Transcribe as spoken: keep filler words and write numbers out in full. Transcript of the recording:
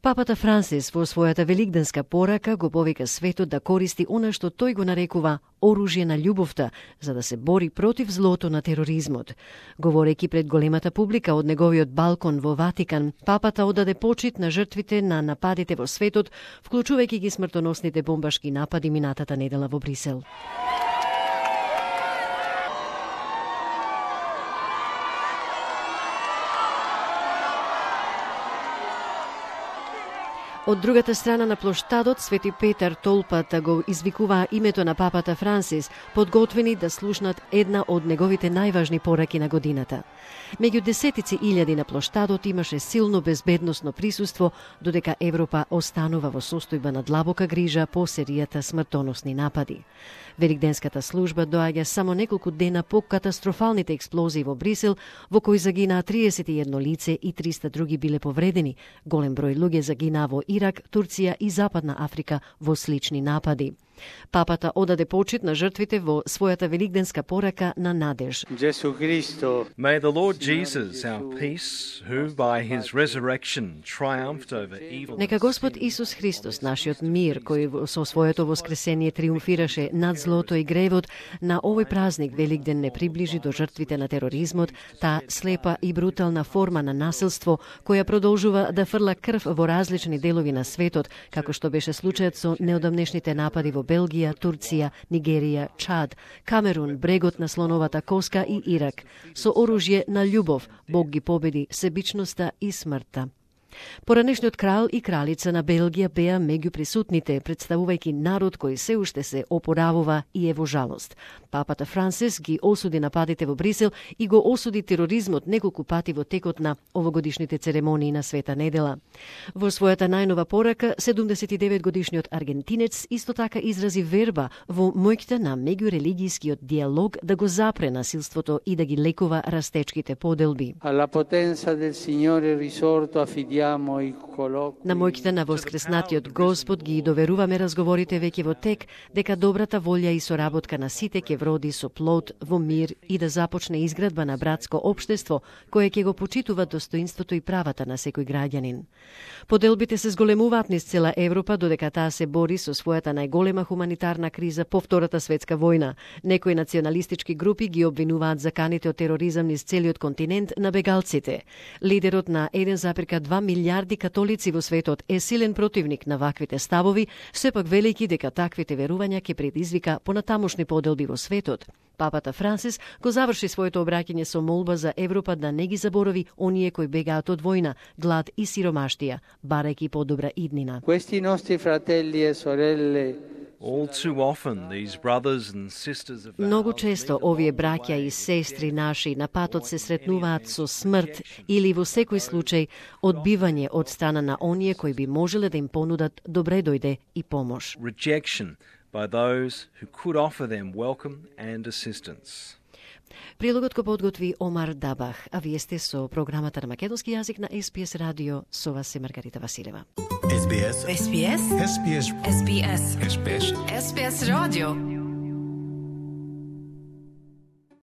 Папата Франсис во својата великденска порака го повика светот да користи она што тој го нарекува оружје на љубовта, за да се бори против злото на тероризмот. Говорејќи пред големата публика од неговиот балкон во Ватикан, папата одаде почит на жртвите на нападите во светот, вклучувајќи ги смртоносните бомбашки напади минатата недела во Брисел. Од другата страна на плоштадот, Свети Петар толпата го извикуваа името на папата Франсис, подготвени да слушнат една од неговите најважни пораки на годината. Меѓу десетици илјади на плоштадот имаше силно безбедносно присуство, додека Европа останува во состојба на длабока грижа по серијата смртоносни напади. Великденската служба доаѓа само неколку дена по катастрофалните експлозии во Брисел, во кои загинаа триесет и едно лице и триста други биле повредени. Голем број луѓе загинаа во Ирак, Турција и Западна Африка во слични напади. Папата одаде почит на жртвите во својата великденска порака на надеж. May the Lord Jesus, our peace, who by his resurrection triumphed over evil. Нека Господ Исус Христос, нашиот мир, кој со своето воскресение триумфираше над злото и гревот, на овој празник Великден не приближи до жртвите на тероризмот, таа слепа и брутална форма на насилство која продолжува да фрла крв во различни делови на светот, како што беше случајот со неодамнешните напади во Белгија, Турција, Нигерија, Чад, Камерун, брегот на слоновата коска и Ирак. Со оружје на љубов Бог ги победи себичноста и смртта. Поранешниот крал и кралица на Белгија беа меѓу присутните, представувајќи народ кој се уште се опоравува и е во жалост. Папата Франсис ги осуди нападите во Брисел и го осуди тероризмот неколку пати во текот на овогодишните церемонии на Света недела. Во својата најнова порака, седумдесет и девет годишниот аргентинец исто така изрази верба во моќта на меѓурелигијскиот диалог да го запре насилството и да ги лекува растечките поделби. Alla potenza del Signore risorto affidiamo. На моќта на воскреснатиот Господ ги доверуваме разговорите веќе во тек, дека добрата волја и соработка на сите ќе вроди со плод во мир и да започне изградба на братско општество, кое ќе го почитува достоинството и правата на секој граѓанин. Поделбите се зголемуваат низ цела Европа, додека таа се бори со својата најголема хуманитарна криза по Втората светска војна. Некои националистички групи ги обвинуваат заканите од тероризам низ целиот континент на бегалците. Лидерот на еден запирка два милијарди католици во светот е силен противник на ваквите ставови, сепак велики дека таквите верувања ќе предизвика понатамошни поделби во светот. Папата Франсис го заврши своето обраќање со молба за Европа да не ги заборови оние кои бегаат од војна, глад и сиромаштија, барајќи подобра иднина. Questi nostri fratelli e sorelle All too often, these brothers and sisters of Многу често овие браќа и сестри наши на патот се сретнуваат со смрт или во секој случај одбивање од страна на оние кои би можеле да им понудат добре дојде и помош. rejection by those who could offer them welcome and assistance. Прилогот го подготви Омар Дабах, а вие сте со програмата на македонски јазик на Ес Би Ес радио, со вас е Маргарита Василева. Ес Би Ес. Ес Би Ес. Ес Би Ес. Ес Би Ес. Ес Би Ес. Ес Би Ес радио.